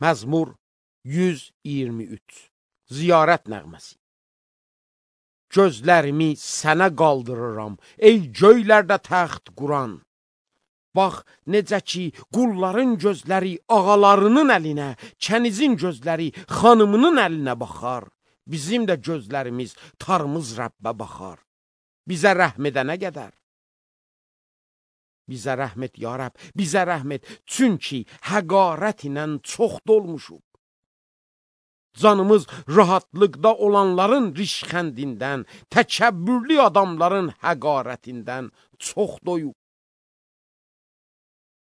Məzmur 123. Ziyarət nəğməsi. Gözlərimi sənə qaldırıram, ey göylərdə təxt quran. Bax, necə ki, qulların gözləri ağalarının əlinə, kənizin gözləri xanımının əlinə baxar. Bizim də gözlərimiz tarımız Rəbbə baxar. Bizə rəhm edənə qədər. Bizə rəhm et, ya Rəbb, bizə rəhm et, çünki həqarət ilə çox dolmuşuq. Canımız rahatlıqda olanların rişxəndindən, təkəbbürlü adamların həqarətindən çox doyub.